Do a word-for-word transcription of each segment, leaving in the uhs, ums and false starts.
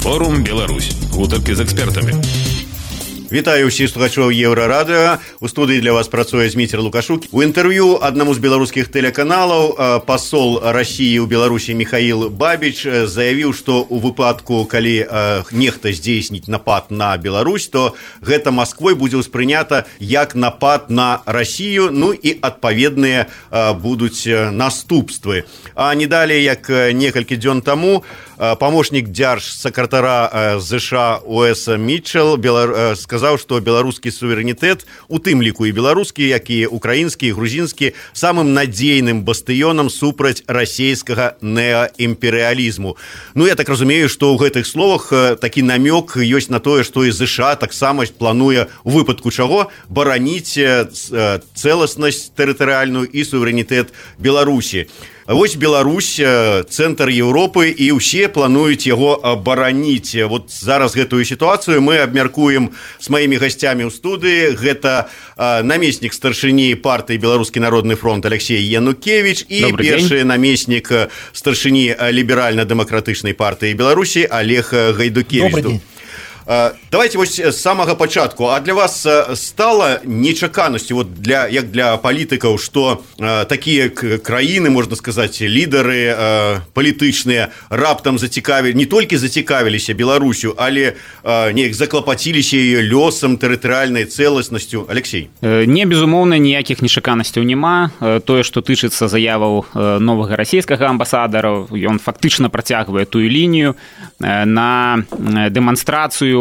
Форум Беларусь. Гутаркі з экспертамі. Вітаю ўсіх слухачоў Еўрарадыо. У студыі для вас працуе Зміцер Лукашук. У інтэрв'ю аднаму з беларускіх тэлеканалаў пасол Расіі ў Беларусі Михаил Бабич заявіў, што ў выпадку, калі нехта здзейсніць напад на Беларусь, то гэта Масквой будзе ўспрынята як напад на Расію, ну і адпаведныя будуць наступствы. А не далей, як некалькі дзён таму, памочнік дзяржсакратара ЗША Уэс Мітчел сказаў, што беларускі суверэнітэт, у тым ліку і беларускі, як і украінскі, і грузінскі, самым надзейным бастыёнам супраць расійскага неаімперыялізму. Ну, я так разумею, што ў гэтых словах такі намёк ёсць на тое, што і ЗША таксама плануе у выпадку чаго бараніць цэласнасць тэрытарыяльную і суверэнітэт Беларусі. Вось Беларусь, цэнтр Еўропы, і ўсе плануюць яго абараніць. Вот зараз гэтую сітуацыю мы абмяркуем з маімі гасцямі ў студыі. Гэта намеснік старшыні партыі Беларускі народны фронт Алексей Янукевич і Добрый першы день. Намеснік старшыні ліберальна-дэмакратычнай партыі Беларусі Олег Гайдукевич. Давайте вось з самага пачатку. А для вас стала нечаканасцю, вот для, як для палітыкаў, што э, такія краіны, можна сказаць, лідары э, палітычныя раптам зацікавілі, не толькі зацікавіліся Беларусю, але э, неяк заклапаціліся яе лёсам, тэрытарыяльнай цэласнасцю. Алексей. Не, безумоўна, ніякіх нечаканасцяў няма. Тое, што тычыцца заяваў новага расійскага амбасадара, ён фактычна працягвае тую лінію на дэманстрацыю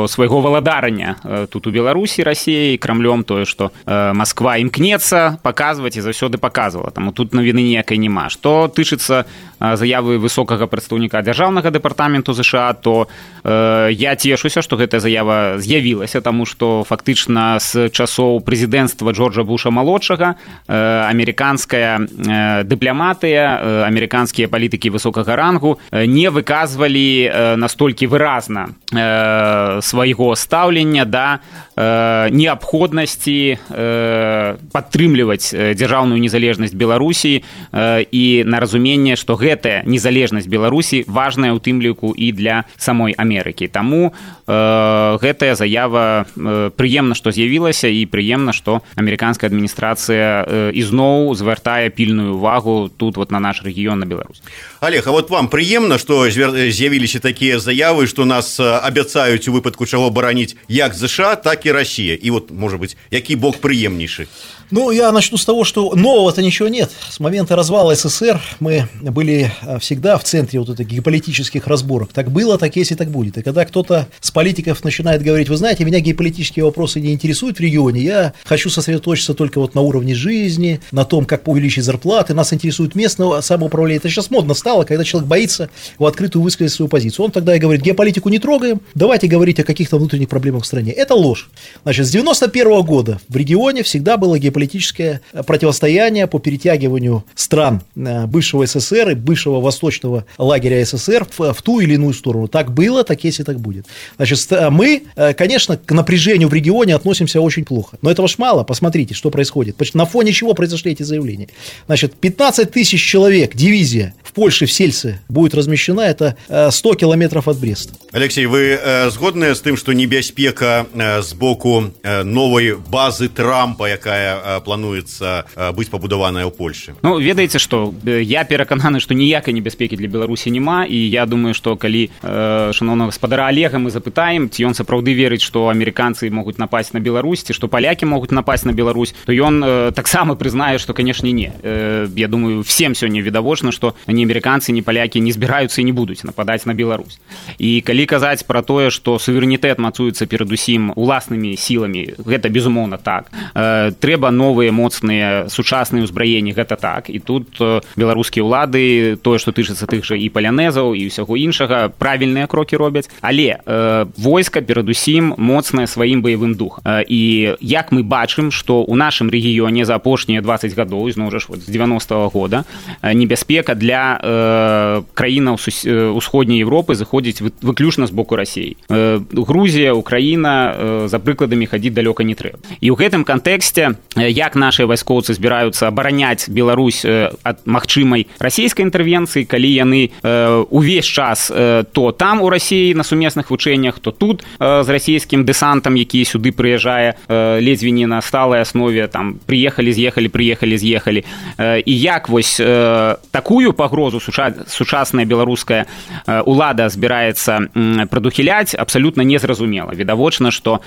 свайго валадарання тут у Беларусі Расіі Крамлём, тое, што Масква імкнецца паказваць і заўсёды паказвала. Таму тут навіны ніякай няма. Што тычыцца заявы высокага прадстаўніка дзяржаўнага дэпартаменту ЗША, то э, я цешуся, што гэтая заява з'явілася, таму што фактычна з часоў прэзідэнцтва Джорджа Буша-малодшага э, амерыканская э, дыпламатыя, э, амерыканскія палітыкі высокага рангу э, не выказвалі э, настолькі выразна э, свайго стаўлення да э, неабходнасці э, падтрымліваць дзяржаўную незалежнасць Беларусі э, і на разуменне, што гэтая незалежнасць Беларусі важная ў тым ліку і для самой Амерыкі. Таму э, гэтая заява э, прыемна, што з'явілася, і прыемна, што амерыканская адміністрацыя э, ізноў звяртае пільную увагу тут вот на наш рэгіён, на Беларусь. Олег, а вот вам прыемна, што з'явіліся такія заявы, што нас абяцаюць у выпадку чаго бараніць як ЗША, так и Россия. И вот, может быть, який бок приемнейший? Ну, я начну с того, что нового-то ничего нет. С момента развала СССР мы были всегда в центре вот этих геополитических разборок. Так было, так есть и так будет. И когда кто-то с политиков начинает говорить: вы знаете, меня геополитические вопросы не интересуют в регионе, я хочу сосредоточиться только вот на уровне жизни, на том, как увеличить зарплаты, нас интересует местное самоуправление. Это сейчас модно стало, когда человек боится в открытую высказать свою позицию. Он тогда и говорит: геополитику не трогаем, давайте говорить о каких-то внутренних проблемах в стране. Это ложь. Значит, с девяносто первого года в регионе всегда было геополитическое политическое противостояние по перетягиванию стран бывшего СССР и бывшего восточного лагеря СССР в, в ту или иную сторону. Так было, так есть и так будет. Значит, мы, конечно, к напряжению в регионе относимся очень плохо. Но этого ж мало. Посмотрите, что происходит. На фоне чего произошли эти заявления. Значит, пятнадцать тысяч человек, дивизия в Польше, в Сельце будет размещена. Это сто километров от Бреста. Алексей, вы э, згодны з тым, што небяспека э, з боку э, новай базы Трампа, якая э, плануецца э, быць пабудаваная ў Польшы? Ну, ведаеце, што я перакананы, што ніякай небяспекі для Беларусі няма, і я думаю, што калі э, шановнага гаспадара Олега мы запытаем, ці ён сапраўды верыць, што амерыканцы могуць напасть на Беларусь, ці што палякі могуць напасть на Беларусь, то ён э, таксама прызнае, што, канешне, не. Э, я думаю, всем сёння відавочна, што ні амерыканцы, ні палякі не збіраюцца і не будуць нападаць на Беларусь. І калі казаць пра тое, што суверэнітэт мацуецца перадусім уласнымі сіламі, гэта безумоўна так. Э, трэба новыя моцныя сучасныя ўзбраенні, гэта так. І тут э, беларускія ўлады, тое, што тычыцца тых жа і палянезаў, і ўсяго іншага, правільныя крокі робяць. Але э, войска перадусім моцнае сваім баявым духам. Э, і як мы бачым, што ў нашым рэгіёне за апошнія дваццаць гадоў, зноў жа вот, з девяностого года, э, небяспека для э, краінаў усходняй Европы заходзіць выключна з боку Расіі. Грузія, Украіна, за прыкладамі хадзіць далёка не трэба. І ў гэтым кантэксце як наши вайскоўцы збіраюцца абараняць Беларусь ад магчымай расійскай інтэрвенцыі, калі яны увесь час то там у Расіі на сумесных вучэннях, то тут з расійскім дэсантам, які сюды прыязджае ледзьве не на сталай аснове, там прыехалі, з'ехалі, прыехалі, з'ехалі. І як вось такую пагрозу сучасная беларуская улада збіраецца прадухіляць, абсалютна незразумела. Відавочна, што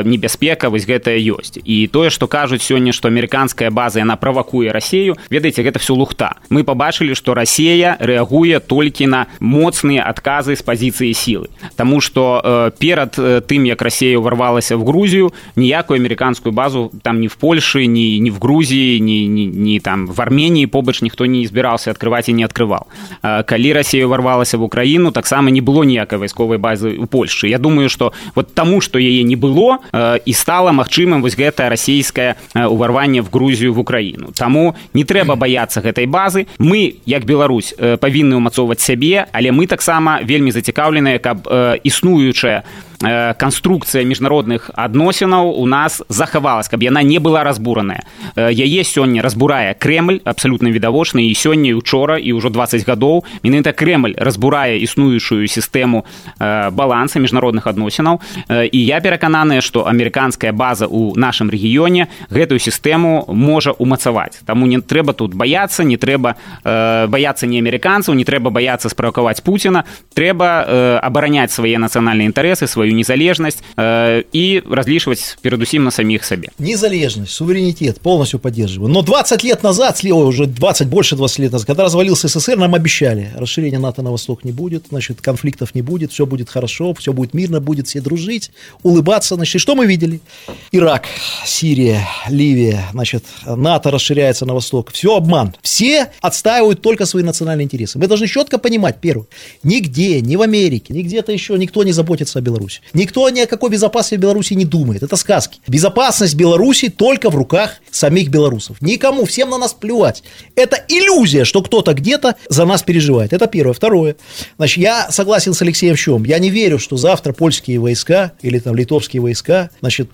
небяспека вось гэтая ёсць. І тое, што кажуць сёння, што амерыканская база, яна правакуе Расію, ведаеце, гэта все лухта. Мы пабачылі, што Расія рэагуе толькі на моцныя адказы з пазіцыі сілы. Таму што перад тым, як Расія ўварвалася в Грузію, ніякую амерыканскую базу там ні в Польшы, ні, ні в Грузіі, ні, ні, ні там в Арменіі побач ніхто не збіраўся адкрываць і не адкрываў. Калі Расія ўварвалася в Украіну, таксама не было ніякай вайсковай базы ў Польшчы. Я думаю, што вот таму, што яе не было, і стала магчымым вось гэтае расійскае ўварванне в Грузію, в Украіну. Таму не трэба баяцца гэтай базы. Мы, як Беларусь, павінны ўмацоўваць сябе, але мы таксама вельмі зацікаўленыя, каб існуючая канструкцыя міжнародных адносінаў у нас захавалась, каб яна не была разбураная. Яе сёння разбурае Крэмль, абсалютна відавочна, і сёння, і учора, і ўжо дваццаць гадоў. Менавіта Крэмль разбурае існуючую сістэму баланса міжнародных адносінаў. І я перакананая, што амерыканская база ў нашым рэгіёне гэтую сістэму можа умацаваць. Таму не трэба тут баяцца, не трэба баяцца не амерыканцаў, не трэба баяцца справакаваць Пуціна, трэба абараняць свае нацыянальныя інтарэсы, сваю незалежность э, и различивать передусім на самих себе. Незалежность, суверенитет полностью поддерживаю. Но двадцать лет назад, слева уже двадцать, больше двадцати лет назад, когда развалился СССР, нам обещали, расширения НАТО на восток не будет, значит, конфликтов не будет, все будет хорошо, все будет мирно, будет все дружить, улыбаться. Значит, и что мы видели? Ирак, Сирия, Ливия, значит, НАТО расширяется на восток. Все обман. Все отстаивают только свои национальные интересы. Мы должны четко понимать, первое, нигде, ни в Америке, ни где-то еще никто не заботится о Беларуси. Никто ни о какой безопасности Беларуси не думает. Это сказки. Безопасность Беларуси только в руках самих белорусов. Никому, всем на нас плевать. Это иллюзия, что кто-то где-то за нас переживает. Это первое. Второе. Значит, я согласен с Алексеем в чем? Я не верю, что завтра польские войска или там литовские войска, значит,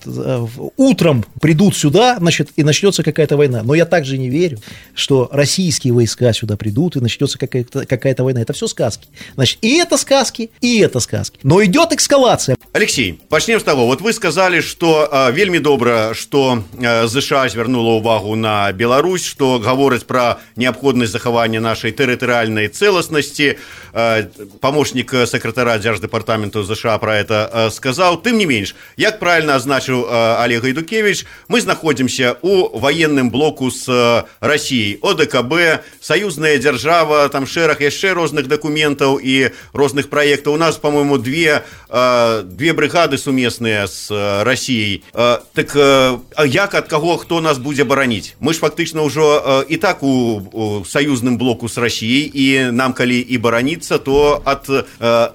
утром придут сюда, значит, и начнется какая-то война. Но я также не верю, что российские войска сюда придут и начнется какая-то, какая-то война. Это все сказки. Значит, и это сказки, и это сказки. Но идет экскалация. Алексей, пачнем з таго. Вот вы сказали, што э, вельмі добра, што э, ЗША звярнула ўвагу на Беларусь, што гаворыць пра неабходнасць захавання нашай тэрытарыяльнай цэласнасці. Э, памочнік сакратара Дзярждэпартаменту ЗША пра это э, сказаў. Тым не менш, як правильно азначыў э, Олег Гайдукевич, мы знаходзімся у ваенным блоку з э, Расіяй, ОДКБ, саюзная дзяржава, там шэраг яшчэ розных дакументаў і розных праектаў. У нас, по-моему, две две бригады сумесныя з Расіяй. Так як, ад каго, хто нас будзе бараніць? Мы ж фактычна ўжо і так у, у саюзным блоку з Расіяй, і нам калі і бараніцца, то ад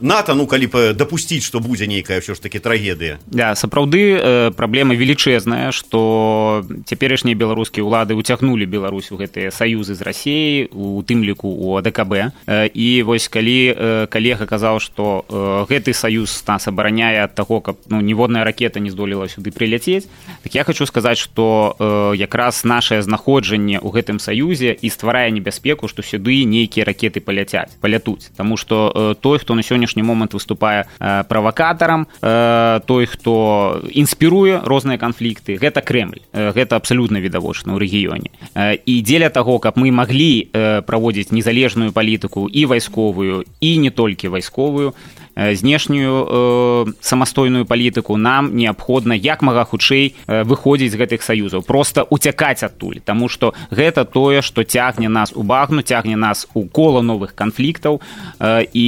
НАТО, ну калі б дапусціць, што будзе нейкая ўсё ж таки трагедыя. Да, сапраўды праблема велічэзная, што цяперашнія беларускія ўлады уцягнулі Беларусь у гэтыя саюзы з Расіяй, у тым ліку у АДКБ. І вось калі калега казаў, што гэты саюз нас абараняе ад таго, каб ну, ніводная ракета не здолела сюды прыляцець, так я хочу сказаць, што э, якраз нашае знаходжанне ў гэтым саюзе і стварае небяспеку, што сюды нейкія ракеты паляцяць, палятуць. Таму што э, той, хто на сённяшні момант выступае э, правакатарам, э, той, хто інспіруе розныя канфлікты, гэта Крэмль. Э, гэта абсалютна відавочна ў рэгіёне. Э, і дзеля таго, каб мы маглі э, праводзіць незалежную палітыку і вайсковую, і не толькі вайсковую, знешнюю э, самастойную палітыку, нам неабходна як мага хутчэй э, выходзіць з гэтых саюзаў, проста уцякаць адтуль, таму што гэта тое, што цягне нас у багну, цягне нас у кола новых канфліктаў, э, і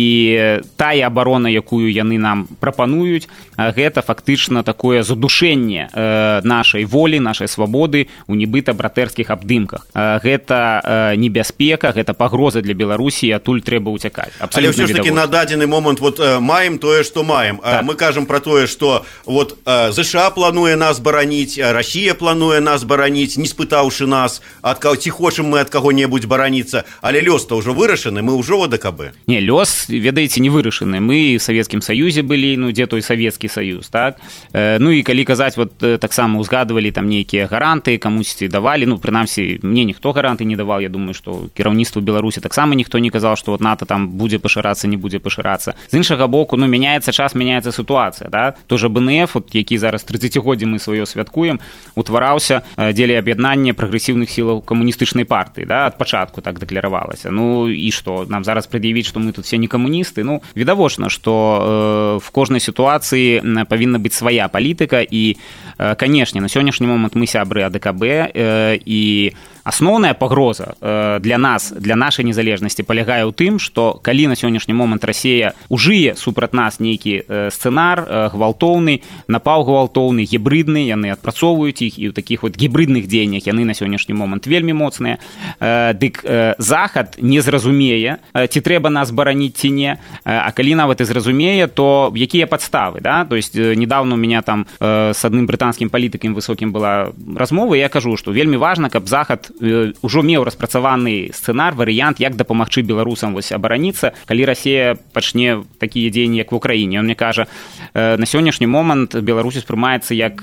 тая абарона, якую яны нам прапануюць, э, гэта фактычна такое задушэнне э, нашай волі, нашай свабоды у нібыта братэрскіх абдымках. Э, гэта э, небяспека, гэта пагроза для Беларусі, адтуль трэба уцякаць. Але ўсё ж таки на дадзены момант вот маем тое, што маем. Так. Мы кажам пра тое, што вот ЗША плануе нас бараніць, Расія плануе нас бараніць, не спытаўшы нас, ад каго, ці хочам мы ад каго-небудзь бараніцца, але лёс-то ўжо вырашаны, мы ўжо ў АДКБ. Не, лёс, ведаеце, не вырашаны. Мы в Савецкім Саюзе былі, ну, дзе той Савецкі Саюз, так? Ну, і калі казаць, вот таксама узгадывалі там нейкія гаранты, камусьці давалі, ну, прынамсі, мне ніхто гаранты не даваў, я думаю, што кіраўніцтву Беларусі таксама ніхто не казаў, што вот НАТО там будзе пашырацца, не будзе пашырацца. З іншага боку, ну, мяняецца час, мяняецца сітуацыя, да? Тоже БНФ, вот, які зараз трыццацігоддзе мы сваё святкуем, утвараўся дзеля аб'яднання прагрэсіўных сілаў камуністычнай партыі, да? Ад пачатку так дэкларавалася. Ну, і што, нам зараз прад'явіць, што мы тут все не камуністы? Ну, відавочна, што э, в кожнай сітуацыі павінна быць свая палітыка, і, э, канешне, на сённяшні момант мы сябры АДКБ, э, і асноўная пагроза э, для нас, для нашай незалежнасці палягае ў тым, што калі на сённяшні момант Расія ужые супраць нас нейкі э, сцэнар э, гвалтоўны, напаў гвалтоўны, гібридны, яны адпрацоўваюць іх, і ў такіх вот гібридных дзеяннях яны на сённяшні момант вельмі моцныя, э, дык э, Захад не зразумее, э, ці трэба нас бараніць ці не, э, а калі нават і зразумее, то якія падставы, да? То есть э, недавно у меня там э, с адным брытанскім палітыкам высокім была размова, і я кажу, што вельмі важна, каб Захад ўжо меў распрацаваны сцэнар, варыянт, як дапамагчы беларусам вось абараніцца, калі Расія пачне такія дзеянні, як в Украіне. Он мне кажа, на сённяшні момант Беларусь успрымаецца як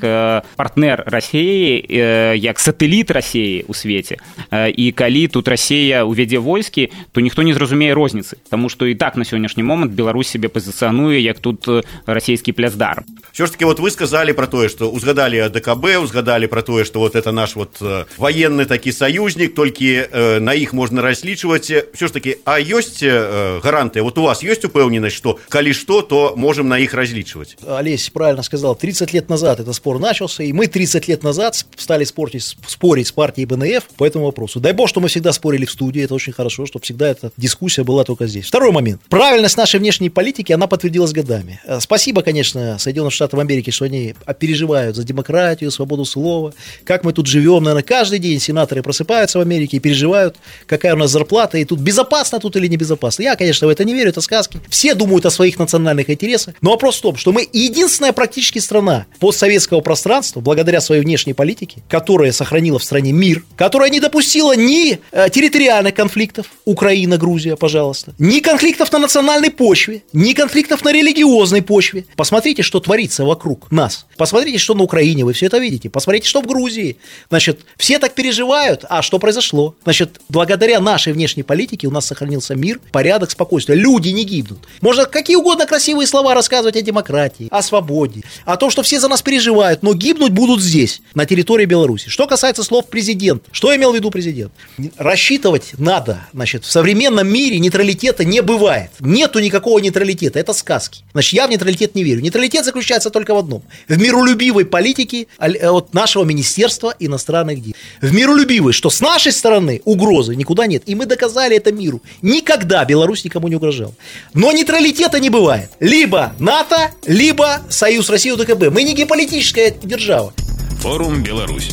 партнер Расіі, як сатэліт Расіі ў свеце. І калі тут Расія увядзе войскі, то ніхто не зразумее розніцы, таму што і так на сённяшні момант Беларусь себе пазіцыянуе як тут расійскі пляцдарм. Все ж таки, вот вы сказали про тое, што узгадалі АДКБ, узгадалі про тое, што вот это наш вот военны такі союзник, толькі э, на іх можна разлічваць. Все ж таки, а ёсць э, гарантыя? Вот у вас ёсць упэўненасць, што калі што, то можем на іх разлічваць? Олесь правильно сказал, тридцать лет назад этот спор начался, и мы тридцать лет назад стали спорить, спорить с партией БНФ по этому вопросу. Дай бог, что мы всегда спорили в студии, это очень хорошо, чтобы всегда эта дискуссия была только здесь. Второй момент. Правильность нашей внешней политики, она подтвердилась годами. Спасибо, конечно, Соединенным Штатам Америки, что они переживают за демократию, свободу слова, как мы тут живем. Наверное, каждый день сенаторы просыпаются в Америке и переживают, какая у нас зарплата, и тут безопасно тут или небезопасно. Я, конечно, в это не верю, это сказки. Все думают о своих национальных интересах, но вопрос в том, что мы единственная практически страна постсоветского пространства, благодаря своей внешней политике, которая сохранила в стране мир, которая не допустила ни э, территориальных конфликтов, Украина, Грузия, пожалуйста, ни конфликтов на национальной почве, ни конфликтов на религиозной почве. Посмотрите, что творится вокруг нас. Посмотрите, что на Украине, вы все это видите. Посмотрите, что в Грузии. Значит, все так переживают, а что произошло? Значит, благодаря нашей внешней политике у нас сохранился мир, порядок, спокойствие. Люди не гибнут. Можно какие угодно красивые слова рассказывать о демократии, о свободе, о том, что все за нас переживают, но гибнуть будут здесь, на территории Беларуси. Что касается слов президента, что имел в виду президент? Рассчитывать надо, значит, в современном мире нейтралитета не бывает. Нету никакого нейтралитета, это сказки. Значит, я в нейтралитет не верю. Нейтралитет заключается только в одном. В миролюбивой политике от нашего Министерства иностранных дел. В миролюбивой, что с нашей стороны угрозы никуда нет. И мы доказали это миру. Никогда Беларусь никому не угрожала. Но нейтралитета не бывает. Либо НАТО, либо Союз России УДКБ. Мы не геополитическая держава. Форум «Беларусь».